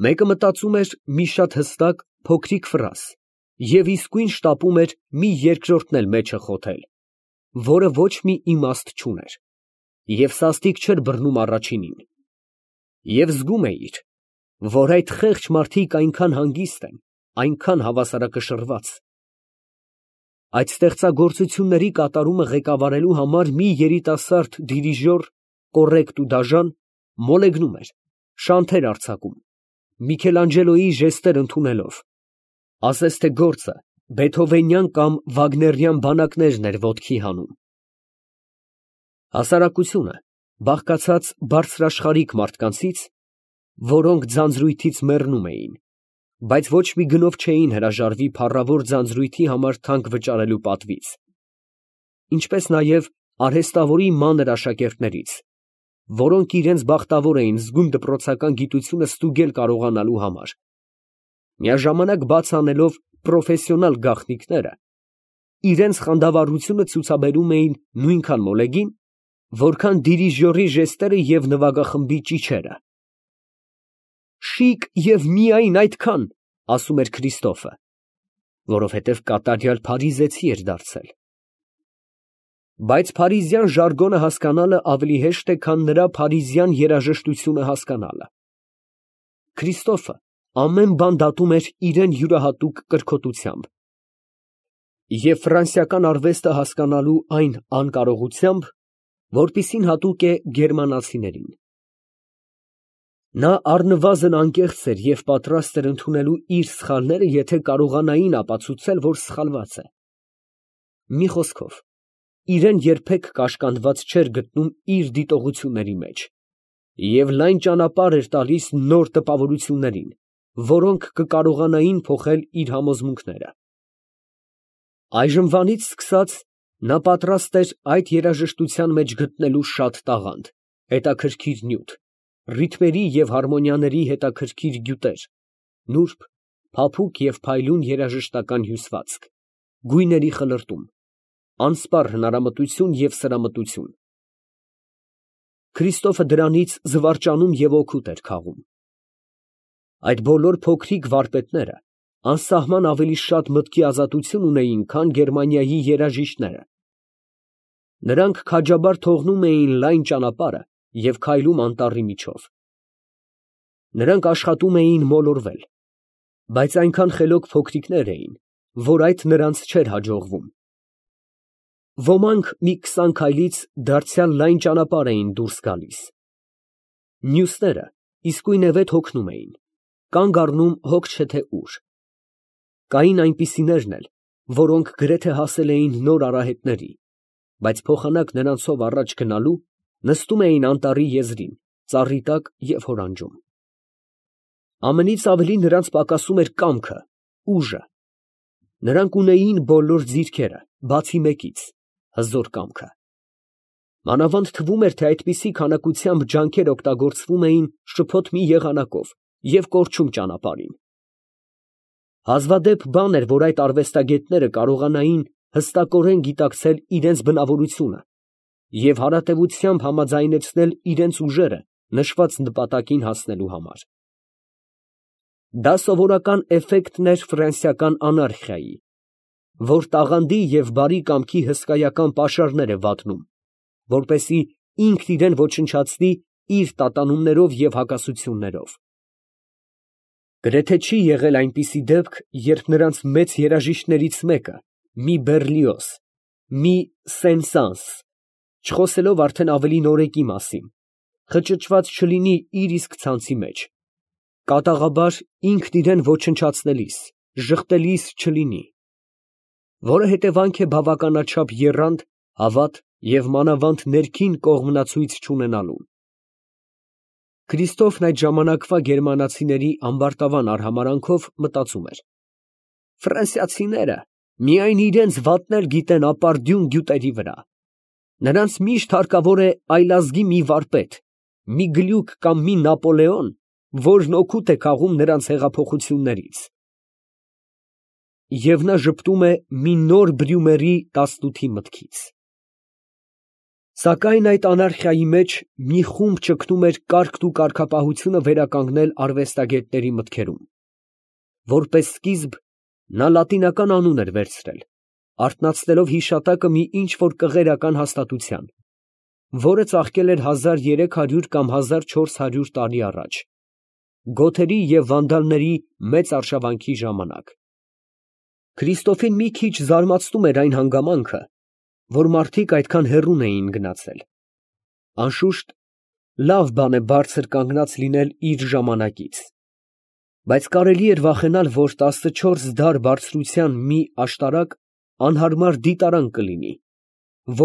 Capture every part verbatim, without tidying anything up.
Մեկը մտածում էր մի շատ հստակ, փոքրիկ ֆրազ և իսկույն շտապում էր մի երկրորդն էլ մեջը խոթել, որը ոչ մի իմաստ չուներ, և սաստիկ չէր բռնում առաջինին, և զգում էիր, որ այդ խեղճ մարդիկ այնքան հանգիստ են, այնքան հավասարակշռված… Այդ ստեղծագործությունների կատարումը ղեկավարելու համար մի երիտասարդ դիրիժոր, կոռեկտ ու դաժան, մոլեգնում էր, շանթեր արձակում, Միքելանջելոյի ժեստեր ընդունելով, ասես թե գործը բեթհովենյան կամ վագներյան բանակներն էր ոտքի հանում… Հասարակությունը բաղկացած բարձրաշխարհիկ մարդկանցից, որոնք ձանձրույթից մեռնում էին, բայց ոչ մի գնով չէին հրաժարվի փառավոր ձանձրույթի համար թանկ վճարելու պատվից, ինչպես նաև արհեստավորի մանր աշակերտներից, որոնք իրենց բախտավոր էին զգում դպրոցական գիտությունը ստուգել կարողանալու համար, միաժամանակ բաց անելով պրոֆեսիոնալ գաղտնիքները, իրենց խանդավառությունը ցուցաբերում էին նույնքան մոլեգին, որքան դիրիժորի ժեստերը և նվագախմբի ճիչերը։ «Շիկ և միայն այդքան», ասում էր Քրիստոֆը, որովհետև կատարյալ փարիզեցի էր դարձել։ Բայց փարիզյան ժարգոնը հասկանալը ավելի հեշտ է, քան նրա փարիզյան երաժշտությունը հասկանալը։ Քրիստոֆը ամեն բան դատում էր իրան յուրահատուկ կրքոտությամբ և ֆրանսիական արվեստը հասկանալու այն անկարողությամբ, որպիսին հատուկ է գերմանացիներին։ Նա առնվազն անկեղծ էր և պատրաստ էր ընդունելու իր սխալները, եթե կարողանային ապացուցել, որ սխալված է։ Մի խոսքով, իրան երբեք կաշկանդված չէր գտնում իր դիտողությունների մեջ և լայն ճանապարհ էր տալիս նոր տպավորություններին, որոնք կկարողանային փոխել իր համոզմունքները։ Այժմվանից սկսած նա պատրաստ էր այդ երաժշտության մեջ գտնելու շատ տաղանդ, հետաքրքիր նյութ, ռիթմերի և հարմոնիաների հետաքրքիր գյուտեր, նուրբ, փափուկ և փայլուն երաժշտական հյուսվածք, գույների խլրտում, անսպառ հնարամտություն և սրամտություն… Քրիստոֆը դրանից զվարճանում և օգուտ էր քաղում։ Այդ բոլոր փոքրիկ վարպետները անսահման ավելի շատ մտքի ազատություն ունեին, քան Գերմանիայի երաժիշտները. նրանք քաջաբար թողնում էին լայն ճանապարհը և քայլում անտառի միջով։ Նրանք աշխատում էին մոլորվել, բայց այնքան խելոք փոքրիկներ էին, որ այդ նրանց չէր հաջողվում։ Ոմանք մի քսան քայլից դարձյալ լայն ճանապարհ էին դուրս գալիս, մյուսները իսկույնևեթ հոգնում էին, կանգ առնում հոգ չէ թե ուր։ Կային այնպիսիներն էլ, որոնք գրեթե հասել էին նոր արահետների, բայց փոխանակ նրանցով առաջ գնալու, նստում էին անտառի եզրին, ծառի տակ և հորանջում։ Ամենից ավելի նրանց պակասում էր կամքը, ուժը։ Նրանք ունեին բոլոր ձիրքերը, բացի մեկից՝ հզոր կամքը։ Մանավանդ թվում էր, թե այդպիսի քանակությամբ ջանքեր օգտագործվում էին շփոթ մի եղանակով և կորչում ճանապարհին։ Հազվադեպ բան էր, որ այդ արվեստագետները կարողանային հստակորեն գիտակցել իրենց բնավորությունը և հարատևությամբ համաձայնեցնել իրենց ուժերը նշված նպատակին հասնելու համար։ Դա սովորական էֆեկտն էր ֆրանսիական անարխիայի, որ տաղանդի և բարի կամքի հսկայական պաշարներ է վատնում, որպեսզի ինքն իրան ոչնչացնի իր տատանումներով և հակասություններով։ Գրեթե չի եղել այնպիսի դեպք, երբ նրանց մեծ երաժիշտներից մեկը, մի Բեռլիոզ, մի Սեն֊Սանս, չխոսելով արդեն ավելի նորեկի մասին, խճճված չլինի իր իսկ ցանցի մեջ, կատաղաբար ինքն իրան ոչնչացնելիս, ժխտելիս չլինի, որը հետևանք է բավականաչափ եռանդ, հավատ և մանավանդ ներքին կողմնացույց չունենալուն։ Քրիստոֆն այդ ժամանակվա գերմանացիների ամբարտավան արհամարհանքով մտածում էր. «Ֆրանսիացիները միայն իրանց վատնել գիտեն ապարդյուն գյուտերի վրա. նրանց միշտ հարկավոր է այլազգի մի վարպետ, մի գլյուկ կամ մի Նապոլեոն, որն օգուտ է քաղում նրանց հեղափոխություններից»։ Եվ նա ժպտում է մի նոր Բրյումերի տասնութի մտքից։ Սակայն այդ անարխիայի մեջ մի խումբ ճգնում էր կարգն ու կարգապահությունը վերականգնել արվեստագետների մտքերում. որպես սկիզբ նա լատինական անուն էր վերցրել, արթնացնելով հիշատակը մի ինչ֊որ կղերական հաստատության, որը ծաղկել էր հազար երեք հարյուր կամ հազար չորս հարյուր տարի առաջ, գոթերի և վանդալների մեծ արշավանքի ժամանակ։ Քրիստոֆին մի քիչ զարմացնում էր այն հանգամանքը, որ մարդիկ այդքան հեռուն էին գնացել։ Անշուշտ, լավ բան է բարձր կանգնած լինել իր ժամանակից, բայց կարելի էր վախենալ, որ տասնչորս դար բարձրության մի աշտարակ անհարմար դիտարան կլինի,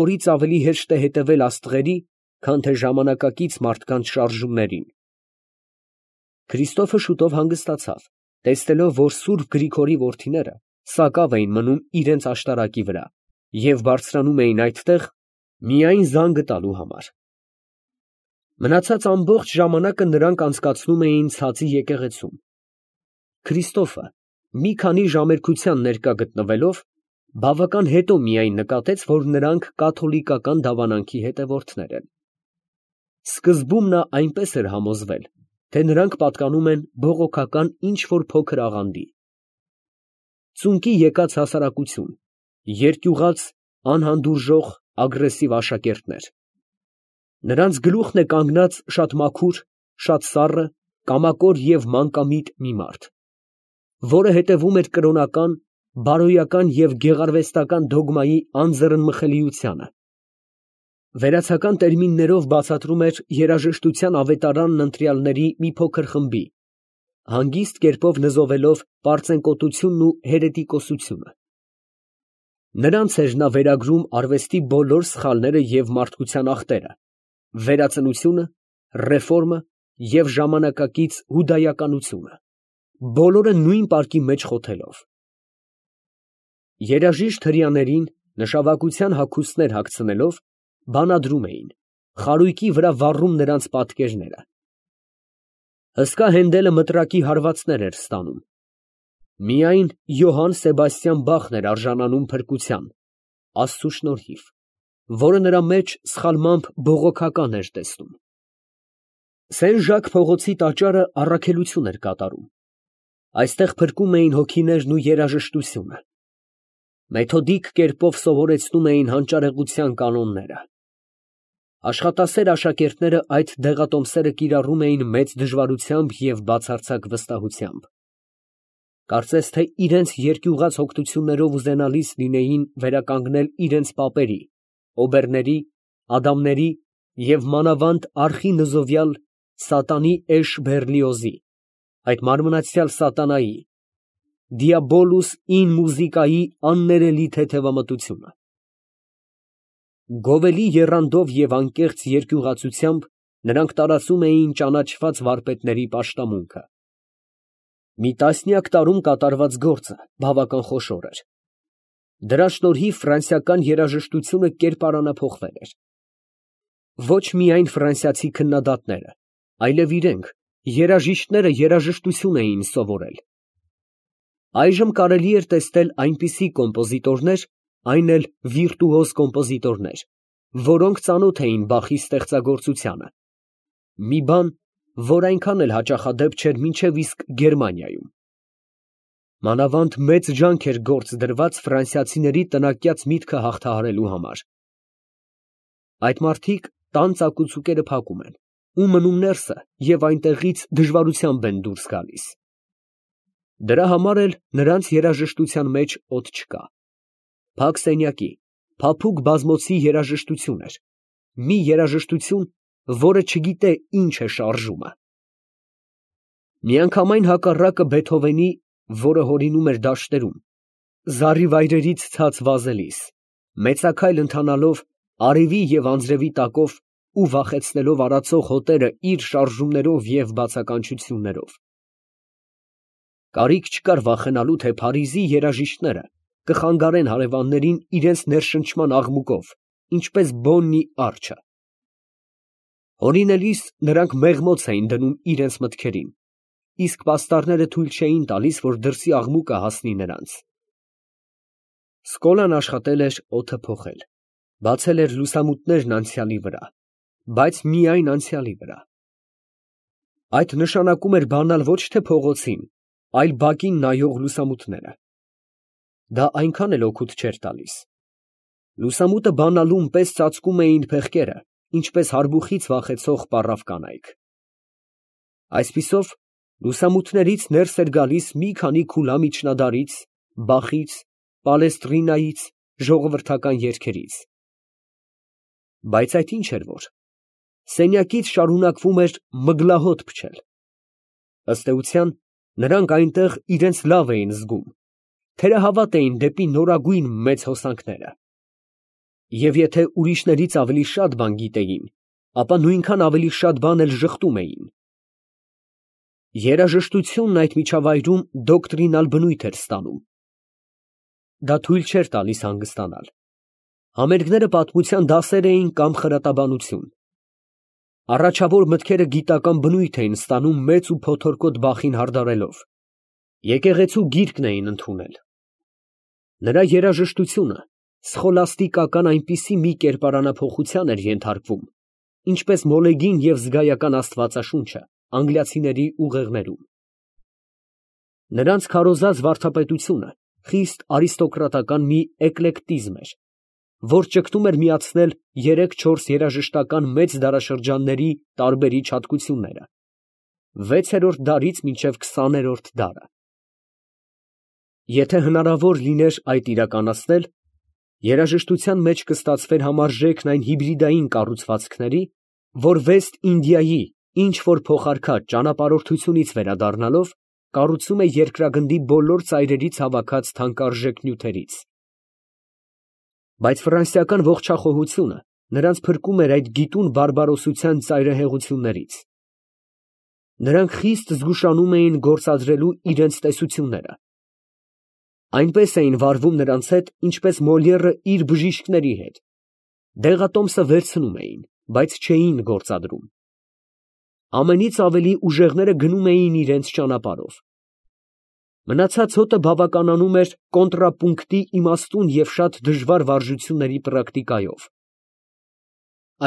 որից ավելի հեշտ է հետևել աստղերի, քան թե ժամանակակից մարդկանց շարժումներին։ Քրիստոֆը շուտով հանգստացավ, տեսնելով, որ սուրբ Գրիգորի որդիները սակավ էին մնում իրենց աշտարակի վրա և բարձրանում էին այդտեղ միայն զանգը տալու համար։ Մնացած ամբողջ ժամանակը նրանք անցկացնում էին ցածի եկեղեցում։ Քրիստոֆը մի քանի ժամերկության ներկա գտնվելով, բավական հետո միայն նկատեց, որ նրանք կաթոլիկական դավանանքի հետևորդներ են։ Սկզբում նա այնպես էր համոզվել, թե նրանք պատկանում են բողոքական ինչ֊որ փոքր աղանդի։ Ծունկի եկած հասարակություն, երկյուղած, անհանդուրժող, ագրեսիվ աշակերտներ։ Նրանց գլուխն է կանգնած շատ մաքուր, շատ սառը, կամակոր և մանկամիտ մի մարդ, որը հետևում էր կրոնական, բարոյական և գեղարվեստական դոգմայի անձեռնմխելիությանը։ Վերացական տերմիններով բացատրում էր երաժշտության ավետարանն ընտրյալների մի փոքր խմբի, հանգիստ կերպով նզովելով պարծենկոտությունն ու հերետիկոսությունը։ Նրանց էր նա վերագրում արվեստի բոլոր սխալները և մարդկության ախտերը, վերածնությունը, ռեֆորմը և ժամանակակից հուդայականությունը, բոլորը նույն պարկի մեջ խոթելով։ Երաժիշտ հրեաներին նշավակության հագուստներ հագցնելով, բանադրում էին, խարույկի վրա վառում նրանց պատկերները։ Հսկա Հենդելը մտրակի հարվածներ էր ստանում։ Միայն Յոհան Սեբաստիան Բախն էր արժանանում փրկության, Աստծու շնորհիվ, որը նրա մեջ սխալմամբ բողոքական էր տեսնում։ Սեն Ժակ փողոցի տաճարը առաքելություն էր կատարում։ Այստեղ փրկում էին հոգիներն ու երաժշտությունը։ Մեթոդիկ կերպով սովորեցնում էին հանճարեղության կանոնները։ Աշխատասեր աշակերտները այդ դեղատոմսերը կիրառում էին մեծ դժվարությամբ և բացարձակ վստահությամբ։ Կարծես թե իրենց երկյուղած հոգնություններով ուզենալիս լինեին վերականգնել իրենց պապերի, օբերների, ադամների և մանավանդ արխի նզովյալ սատանի էշ Բեռլիոզի, այդ մարմնացյալ սատանայի, Դիաբոլուս ին մուզիկայի աններելի թեթևամտությունը։ Գովելի եռանդով և անկեղծ երկյուղածությամբ նրանք տարածում էին ճանաչված վարպետների պաշտամունքը։ Մի տասնյակ տարում կատարված գործը բավական խոշոր էր։ Դրա շնորհիվ ֆրանսիական երաժշտությունը կերպարանափոխվել էր։ Ոչ միայն ֆրանսիացի քննադատները, այլև իրենք, երաժիշտները երաժշտություն էին սովորել։ Այժմ կարելի էր տեսնել այնպիսի կոմպոզիտորներ, այն էլ վիրտուոզ կոմպոզիտորներ, որոնք ծանոթ էին Բախի ստեղծագործությանը, մի բան, որ այնքան էլ հաճախադեպ չէր մինչև իսկ Գերմանիայում։ Մանավանդ մեծ ջանք էր գործ դրված ֆրանսիացիների տնակյաց միտքը հաղթահարելու համար։ Այդ մարդիկ տան ծակուցուկերը փակում են, ու մնում ներսը և այնտեղից դժվարությամբ են դուրս գալիս։ Դրա համար էլ նրանց երաժշտության մեջ օդ չկա։ Փակ սենյակի, փափուկ բազմոցի երաժշտություն էր, մի երաժշտություն, որը չգիտե ինչ է շարժումը։ Միանգամայն հակառակը Բեթհովենի, որը հորինում էր դաշտերում, զառիվայրերից ցած վազելիս, մեծաքայլ ընթանալով արևի և անձրևի տակով ու վախեցնելով արածող հոտերը իր շարժումներով և բացականչություններով։ Կարիք չկար վախենալու, թե Փարիզի երաժիշտները կխանգարեն հարևաններին իրենց ներշնչման աղմուկով, ինչպես Բոննի արջը։ Հորինելիս նրանք մեղմոց էին դնում իրենց մտքերին, իսկ պաստառները թույլ չէին տալիս, որ դրսի աղմուկը հասնի նրանց։ Սկոլան աշխատել էր օդը փոխել, Բացել էր լուսամուտներն անցյալի վրա, բայց միայն անցյալի վրա։ Այդ նշանակում էր բանալ ոչ թե փողոցին, այլ բակին նայող լուսամուտները։ Դա այնքան էլ օգուտ չէր տալիս։ Լուսամուտը բանալուն պես ծածկում էին փեղկերը, ինչպես հարբուխից վախեցող պառավ կանայք։ Այսպիսով, լուսամուտներից ներս էր գալիս մի քանի քուլա միջնադարից, Բախից, Պալեստրինայից, ժողովրդական երգերից։ Բայց այդ ինչ էր որ։ Սենյակից շարունակվում էր մգլահոտ փչել։ Ըստ էության, նրանք այնտեղ իրենց լավ էին զգում, թերահավատ էին դեպի նորագույն մեծ հոսանքները։ Եվ եթե ուրիշներից ավելի շատ բան գիտեին, ապա նույնքան ավելի շատ բան էլ ժխտում էին։ Երաժշտությունն այդ միջավայրում դոկտրինալ բնույթ էր ստանում։ Դա թույլ չէր տալիս հանգստանալ։ Համերգները պատմության դասեր էին կամ խրատաբանություն։ Առաջավոր մտքերը գիտական բնույթ էին ստանում մեծ ու փոթորկոտ բախին հարդարելով։ Եկեղեցու գիրկն էին ընդունել։ Նրա երաժշտությունը սխոլաստիկական այնպիսի մի կերպարանափոխության էր ենթարկվում, ինչպես մոլեգին և զգայական աստվածաշունչը անգլիացիների ուղեղներում։ Նրանց քարոզած վարդապետությունը խիստ արիստոկրատական մի էկլեկտիզմ էր, որ ճգտում էր միացնել երեք֊չորս երաժշտական մեծ դարաշրջանների տարբերիչ հատկությունները, վեցերորդ դարից մինչև քսաներորդ դարը։ Եթե հնարավոր լիներ այդ իրականացնել, երաժշտության մեջ կստացվեր համարժեքն այն հիբրիդային կառուցվածքների, որ Վեստ Ինդիայի ինչ որ փոխարքած ճանապարհորդությունից վերադառնալով կառուցում է երկրագնդի բոլոր ծայրերից հավաքած թանկարժեք նյութերից։ Բայց ֆրանսիական ողջախոհությունը նրանց փրկում էր այդ գիտուն բարբարոսության ծայրահեղություններից։ Նրանք խիստ զգուշանում էին գործադրելու իրենց տեսությունները։ Այնպես էին վարվում նրանց հետ, ինչպես Մոլիերը իր բժիշկների հետ, դեղատոմսը վերցնում էին, բայց չէին գործադրում։ Ամենից ավելի ուժեղները գնում էին իրենց ճանապարհով։ Մնացած հոտը բավականանում էր կոնտրապունկտի իմաստուն և շատ դժվար վարժությունների պրակտիկայով։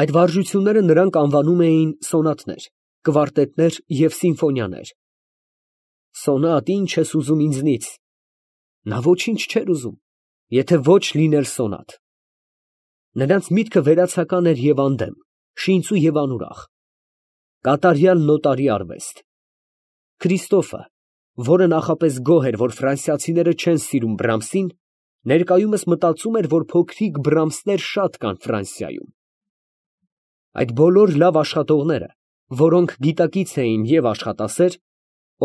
Այդ վարժությունները նրանք անվանում էին սոնատներ, կվարտետներ և սիմֆոնիաներ։ Սոնատ, ի՞նչ ես ուզում ինձնից։ Նա ոչինչ չէր ուզում, եթե ոչ լիներ սոնատ։ Նրանց միտքը վերացական էր և անդեմ, շինծու և անուրախ։ Կատարյալ նոտարի արվեստ։ Քրիստոֆը, որը նախապես գոհ էր, որ ֆրանսիացիները չեն սիրում Բրամսին, ներկայումս մտածում էր, որ փոքրիկ Բրամսներ շատ կան Ֆրանսիայում։ Այդ բոլոր լավ աշխատողները, որոնք գիտակից էին և աշխատասեր,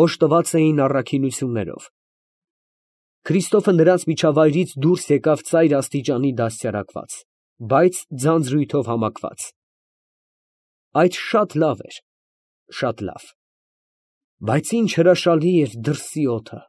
օժտված էին առաքինություններով։ Քրիստոֆը նրանց միջավայրից դուրս եկավ ծայր աստիճանի դաստիարակված, բայց ձանձրույթով համակված։ Այդ շատ լավ էր, շատ լավ։ Բայց ինչ հրաշալի էր դրսի օդը։